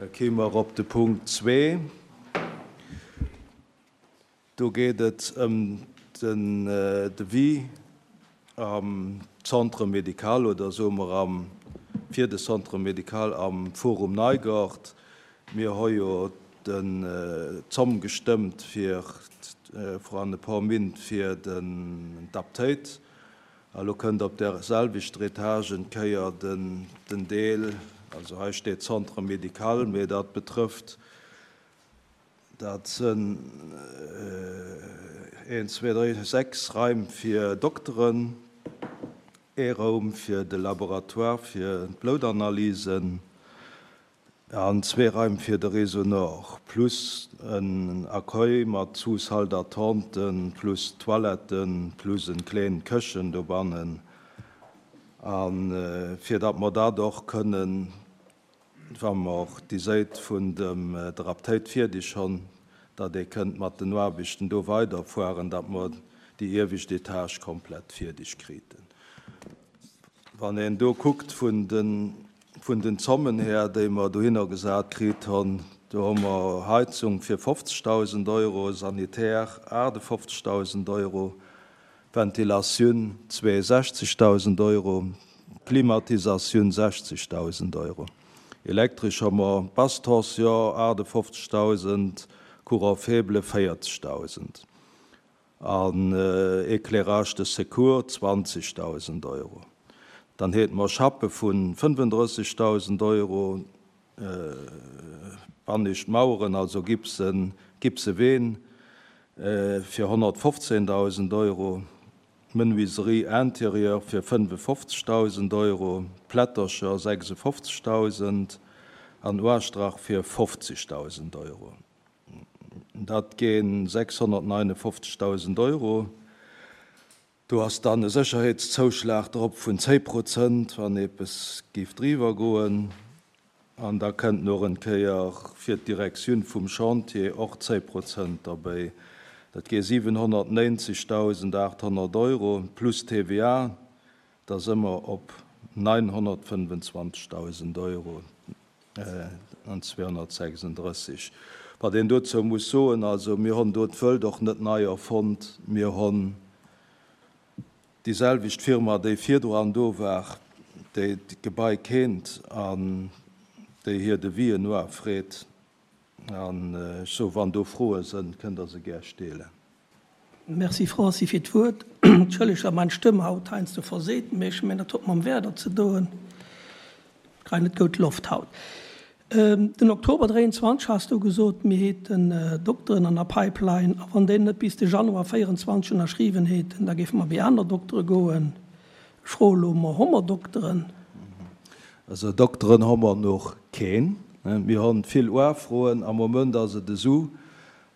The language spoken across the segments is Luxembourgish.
Da kéime mer op de Punkt zwee. Do geet et ëm den Devis am Centre médical oder soe mer am, fir de Centre médical am Forum Neigort. Mir hu jo den d'Zomm gestëmmt fir vrun e puer Mint fir den d'Aptéit. A lo kënnt op där selwechter Etage en Kéier den den Deel, also hei steet Centre médical, mee dat betrëfft, dat sënn een, zwee, dréi, 6 Raim fir Dokteren, ee Raum fir de Laboratoire fir d'Bloutanalysen an zwee Raim fir de Réseau Nord, plus en Accueil mat Sous-salle d'attente, plus Toiletten, plus en kleen Këchen dobannen. A fir datt mer dat och kënnen, wa mer déi Séit vun dem der Aptéit fierdeg honn, datt ee kënnt mat den Aarbechten do weiderfueren, datt mer déi iewescht Etage komplett fierdeg kriten. Wann een do kuckt vun den Vun den Zommen här, déi mer dohinner gesat kritt honn, do hu mer Heizung fir 50.000 Euro, Sanitär 58.000 Euro, Ventilatioun 62.000 Euro, Klimatisatioun 60.000 Euro. Elektresch hu mer Basse tension 58.000, Courant faible 40.000. An Éclairage de secours 20.000 Euro. Dann hate mer Chappe vu 35.000 Euro, bannescht Maueren, also Gipsen, gipse Ween fir 115.000 Euro, Menuiserie intérieure fir 55.000 Euro, Plättercher 56.000 an Uastrach fir 50.000 Euro. Dat gi 659.000 Euro. Do ass dann e Sécherheetszouschlag drop vun 10 Prozent, wann eppes géif driwwer goen. An da kënnt nach en Kéier fir d'Direktioun vum Chantier och 10 Prozent derbäi. Dat gi 790.800 Euro plus TVA. Da si mer op 925.000 Euro an 236. Wat een dozou muss soen, also mir honn do d'Wëlt och net nei erfonnt. Mir honn déi selwecht Firma, déi virdran do war, déi d'Gebai kennt an déi hir Devisen noafreet. An ech soe, wann do Froe sënn, kënnt Der se gär steelen. Merci Francis fir d'Wuert. Entschëllegt wa mein Stëmm haut heiansdo verseet, mee ech mengen dat huet mam Werder ze doen. Kréien net goud Loft haut. Den Oktober 23 has du gesot, mir heten Dokteren an der Pipeline a wann déi net bis de Januar 24 ënnerschriwwen heten, da géife mer bei aner Doktere goen. Ech froe lo mol, Hu mer Dokteren? Also Dokteren hu mer noch keen. Mir hunn vill Uafroen. Am Moment ass et esou,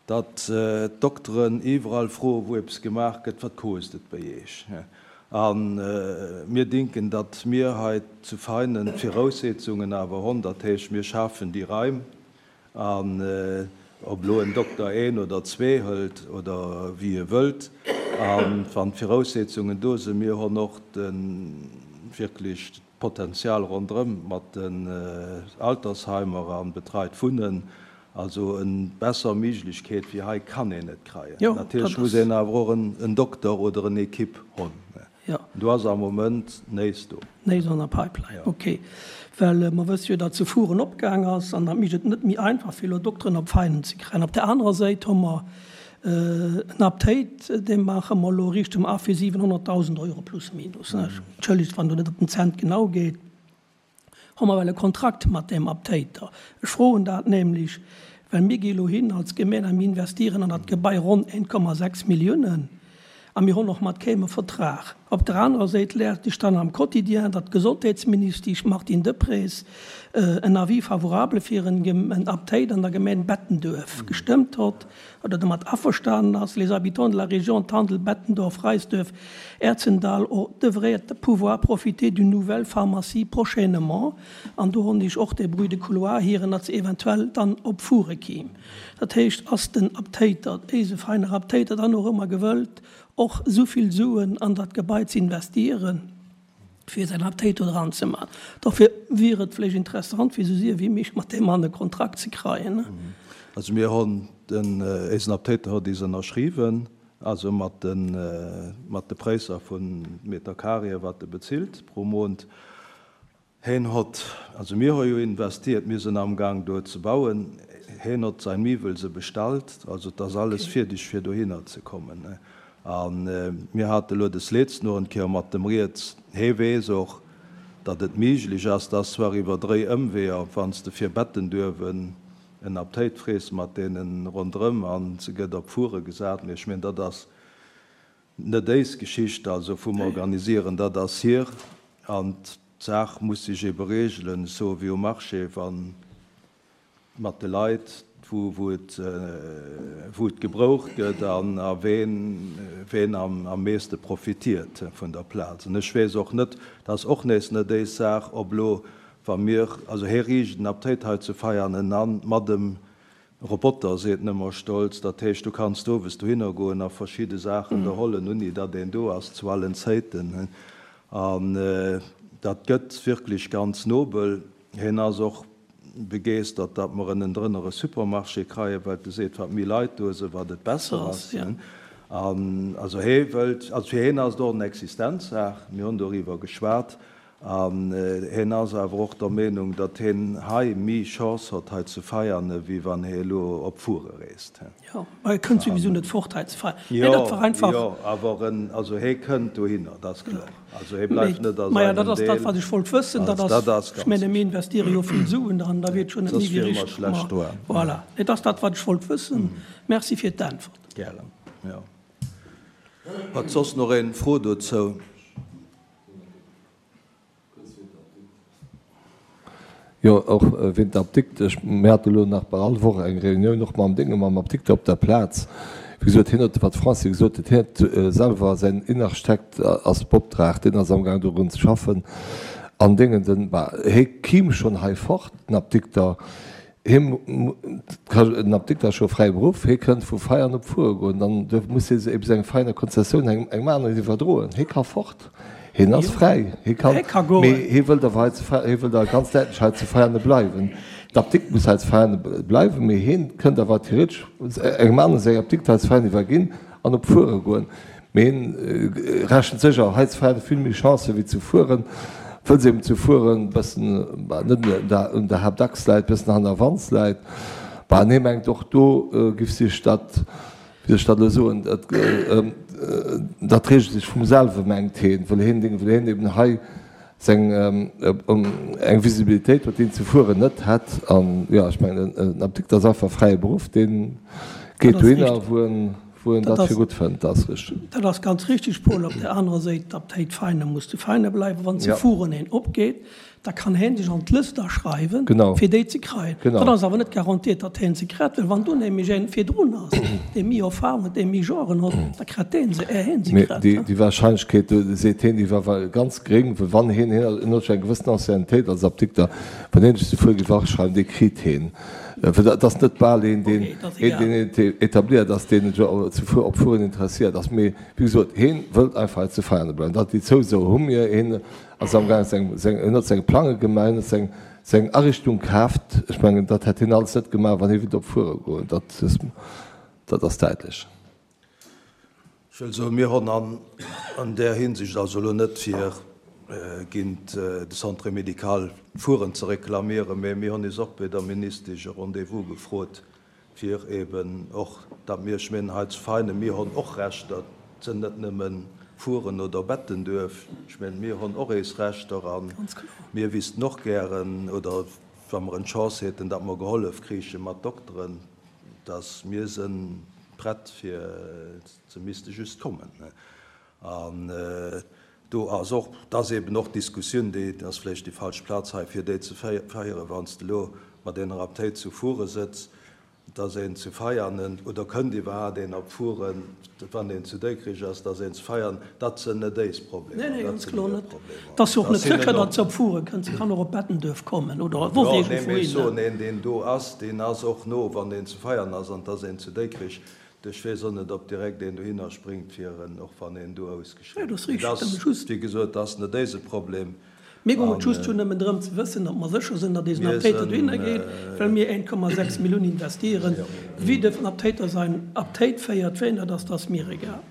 datt d'Dokteren iwwerall froen, wou eppes gemaach gëtt, Wat kost et bei Iech? A mir dinken, datt mir hei zu Veinen d'Viraussetzungen awer hunn, dat heescht, mir schafen déi Raim. An ob elo en Dokter een oder zwee hëlt oder wéi e wëllt, a wann d'Viraussetzungen do sinn, mir hunn och de wierklech d'Potenzial ronderëm mat den Altersheimer a betreit Wunnen, also en besser Méiglechkeet wéi hei kann een net kreien. Natierlech muss een awer och en Dokter oder en Equipe hunn. Do ass am Moment néist do. Néist an der Pipeline, ok. Well mer wësse jo, datt zu Furen opgaang ass an dat mécht et net méi einfach fir elo Dokteren op Veinen ze kréien. Op där anerer Säit hu mer en Aptéit, dee maache mer elo riicht um a fir 700.000 Euro plus minus. Entschëllegt, wann do net op den Cent genau geet. Hu mer well e Kontrakt mat deem Aptéiter? Ech froen dat nämlech, well mir gi elo hin als Gemeen a mir investieren an dat Gebai ronn 1,6 Milliounen a mir hunn och mat keem e Vertrag. Op der anerer Séit läert ech dann am Quotidien, datt d'Gesondheetsministesch Martine Deprez en Avis favorable fir en Aptéit an der Gemeen Bettenduerf gestëmmt hott oder domat averstanen ass, Les habitants de la région Tandel-Bettendorf, Reisduerf, Erzendall devraient pouvoir profiter d'une nouvelle pharmacie prochainement. An do honn ech och de Bruit de couloir hieren, datt se eventuell dann op Fure kiim. Dat heescht, ass den Aptéiter, éise feiner Aptéiter, dann och ëmmer gewëllt, och esou vill Suen an dat Gebai ze investieren? Fir säin Aptéit do dran ze man. Dofir wier et vläicht interessant, fir esou séier wéi méiglech mat deem Mann e Kontrakt ze kreien. Also mir honn den, éisen Aptéiter hott is ënnerschriwwen, also mat de, mat de Préisser vun Meter carré, wat e bezilt pro Mond. Heen hott, also mir ho jo investiert, mir sinn amgang do ze bauen, heen hott sein Miwwel se bestallt, also 't ass alles fierdeg fir dohinner ze kommen. A mir hate elo des letzten noch en Kéier mat dem Rieds. Hee weess och, datt et méiglech ass, dass zwar iwwer dréi Ëmweeër, wann s de fir Bettenduerwen en Aptéit frees mat deene ronderëm a se gëtt op Fure gesat, mee ech mengen, dat ass net éis Geschicht, also vum Organisieren, dat ass hir. An d'Saach muss sech ebe regelen, ech soe wéi um Marché, wann mat de Leit, wou wou et wou et gebroucht gëtt an a ween ween am am meeste profitiert vun der Plaz. An ech weess och net, dat ass och nees net éis Saach, ob elo wa mir, also hee riicht en Aptéit hei zu Veianen an mat em Roboter, seet en ëmmer stolz, dat heescht du kanns owes dohinner goen a verschidde Saachen der hollen, unni datt een do ass zu allen Zéiten. An dat gëtt wierklech ganz nobel. Hien ass och begeeschtert, datt mer ënnendrënner e Supermarché kreien, well e seet, wat méi Leit do sinn, wat et besser ass. An also hee wëllt, also fir hien ass et och en Existenzsaach, mir hunn doriwwer geschwat, an hien ass awer och der Meenung, datt hien hei méi Chance hott hei zu Veianen, wéi wann hie elo op Fuere reest. Jo, ma e kënnt souwisou net fort hei ze feiern. Mee dat war einfach. Jo, awer en, also hee kënnt dohinner, dat ass kloer. Also hee bleift net a seinem Deel. Maja, dat ass dat, wat ech wollt wëssen. Dat ass, ech menge mir investiere jo vill Suen dran, da wier et schonn net méi wéi richteg. Soss wiere mer schlecht dran. Voilà, et ass dat, wat ech wollt wëssen. Merci fir d'Äntwert. Gären, jo. Huet soss nach een Fro dozou? Jo, och wéint der Apdikt. Ech, mir hate lo nach bal all Woch eng Reunioun och mam Dénge, mam Apdikter op der Plaz. Wéi gesot, hien huet, wat d'Francy gesot huet, hien huet selwer, säin Innenarchitekt ass beoptraagt, deen ass amgaang dorun ze schaffen. An Déngen, den, bah, hie kiim schonn hei fort, den Apdikter. Hie den Apdikter ass scho fräi Beruff, hie kënnt vu Veianen op Fuere goen, dann duerf, muss hie ebe seng Veiener Konzessioun engem, engem aneren iwwerdroen. Hie ka fort, hien ass fräi, hie kann, mee hie wëllt awer hei zu Veianen, hie wëllt awer ganz däitlech hei zu Veiane bleiwen. D'Apdikt muss hei zu Veiane bleiwen, mee hien kënnt awer theoretesch engem anere seng Apdikt hei zu Veianen iwwerginn an op Fuere goen. Mee hien rechent sécher hei zu Veianen vill méi Chancen wéi zu Fueren, wëll se eben zu Fueren bëssen, bah, net un der Haaptachs läit, bëssen hannerwands läit. Bah, an hie mengt och do giff sech dat, wéi soll ech dat elo soen, dat, dat reegelt sech vum selwe mengt hien, wëll hien, wëll hien eben hei seng, eng Visibilitéit huet, déi en zu Fueren net hätt. An jo, ech mengen en Apdikter ass einfach e fräie Beruff, dee geet dohinner wou en, Wou en dat fir gutt fënnt, dat ass richteg. Dat ass ganz richteg, Paul. Op där anerer Séit, d'Abtei Veinen muss zu Veinen bleiwen. Wann zu Furen een opgeet, da kann heen sech an d'Lëscht aschreiwen, fir déi ze kreien. Dat ass awer net garantiert, datt heen se kritt, well wann do nämlech een virdrun ass, dee méi Erfahrung huet, dee méi Joren huet, da kritt dee se, är heen se kritt. Déi Wahrscheinlechkeet, seet heen, déi war ganz gréng, well wann heen, heen huet scho eng gewëssen Anciennetéit als Apdikter, wann heen sech zu Fuer géif aschreiwen, dee kritt heen. Well dat ass net bal een, deen etabliert ass, deen sech op Fueren interesséiert ass. Mee wéi gesot, hien wëllt einfach hei zu Veianen bleiwen. Dat, déi Zouso hu mir. Hien ass amgaang seng, hien huet seng Plange gemaach, hien huet seng Ariichtung kaaft. Ech mengen, dat hätt hien alles net gemaach, wann hie wéilt op Fuere goen. Dat, dat ass däitlech. Ech wëll soen, mir honn an där Hinsicht, also elo net fir géint de Centre médical Furen ze reklamieren, mä mir honn is och bei der Ministesch e Rendez-vous gefrot, fir eben och, datt mir, ech mengen hei zu Veinen, mir honn och Rechter, et sënn net nëmme Furen oder Bettenduerf, ech mengen, mir honn och eis Rechter a mir wissten och gären, oder wa mer en d'Chance hätten, datt mer gehollef kriiche mat Dokteren, dass mir sënn prett fir, se misste just kommen. An do ass och, et ass eben och d'Diskussioun, déi ass vläicht déi falsch Plaz hei fir déi ze féieren, wann s de elo mat enger Aptéit zu Furen sëtz, dass een zu Veianen, oder kënnt iwwerhaapt een op Furen, wann een zu Dikrich ass, dass een zu Veianen, dat sënn net éis Problemer, Nee, nee, dat ganz sinn kloer hir net. Problemer. Et ass jo och net sécher, datt se op Furen kënnt. Se kann och op Bettenduerf kommen oder soss Jo, nee, mee ech iergendwouhinner. soen, een, deen do ass, deen ass och no, wann een zu Veianen ass an et ass een zu Dikrich. Ech weess och net, ob direkt een dohinner springt, fir en, och wann een do ausgeschriwwen gëtt. Mee dat ass, wéi gesot, dat ass net éise Problem. Mir goung et just jo nëmmen drëm ze wëssen, datt mer sécher sinn, datt eisen Aptéiter dohinner geet, well mir 1,6 Millioun investieren. Wéi den Aptéiter säin Aptéit féiert, wéi en dat ass, dat ass mir egal.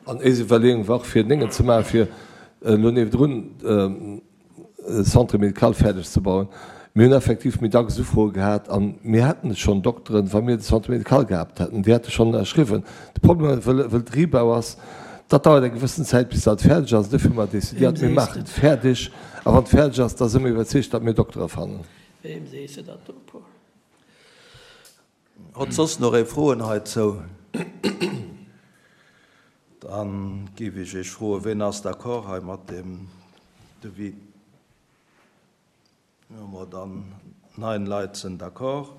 An éis Iwwerleeung war och fir Déngen ze maachen, fir elo niewendrun e Centre médical fäerdeg ze bauen. Mir hunn effektiv méi dacks Ufroe gehat a mir hätten schonn Dokteren, wa mir de Centre médical gehabt hätten, déi hätte schonn ënnerschriwwen. De Problem, wëll et Rebau ass, dat dauert eng gewëssen Zäit, bis dat fäerdeg ass. Dofir hu mer decidéiert, mir maachen et fäerdeg a wann et fäerdeg ass, da si mer iwwerzeegt, datt mir Doktere fannen. Weem sees de dat do, Paul? Hott soss nach ee Froen heizou? Dann géif ech Iech froen, ween ass d'accord hei mat deem Devis? Hu mer dann 9 Leit sinn d'accord.